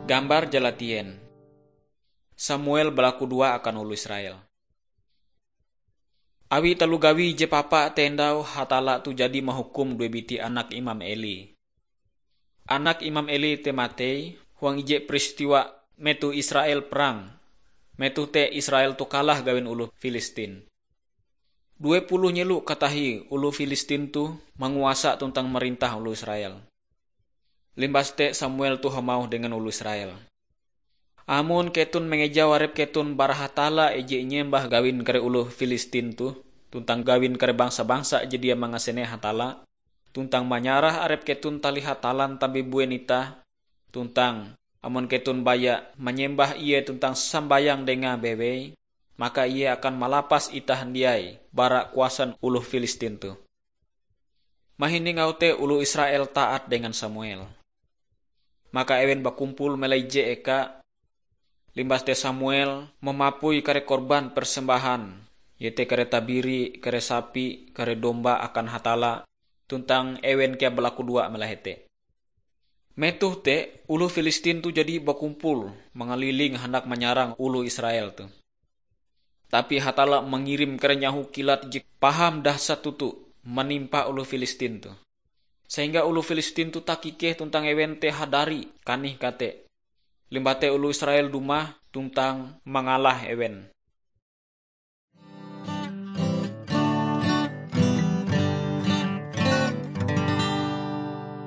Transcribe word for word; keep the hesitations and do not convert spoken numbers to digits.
Gambar jalatien. Samuel balakudoa akan oloh Israel. Awi taloh gawi je papa te endau Hatalla toh jadi mahukum due biti anak Imam Eli. Anak Imam Eli te matei huang ije peristiwa metoh Israel perang. Metoh te Israel toh kalah gawin oloh Filistin. Due puluh nyelo katahie oloh Filistin toh manguasa tuntang marintah oloh Israel. Limbas te Samuel toh hamauh dengan oloh Israel, "Amon keton mangejau arep keton bara Hatalla ije inyembah gawin kare oloh Filistin toh, tuntang gawin kare bangsa-bangsa je dia mangasene Hatalla, tuntang manyarah arep keton talih Hatallan tabebuen itah, tuntang amon keton baya manyembah Ie tuntang sambayang Dengae bewei, maka Ie akan malapas itah handiai bara kuasan oloh Filistin toh." Mahining auh te oloh Israel taat dengan Samuel. Maka ewen bakumpul melai ije eka. Limbas te Samuel mamapui kare korban persembahan, iete kare tabiri, kare sapi, kare domba akan Hatalla, tuntang ewen kea balakudoa melai hete. Metoh te, oloh Filistin toh jadi bakumpul mangaliling handak manyarang oloh Israel toh. Tapi Hatalla mangirim kare nyaho kilat je paham dahsat toto manimpa oloh Filistin toh. Sehingga oloh Filistin toh takikeh tuntang ewen te hadari kanih kate. Limbah te oloh Israel dumah tuntang mangalah ewen.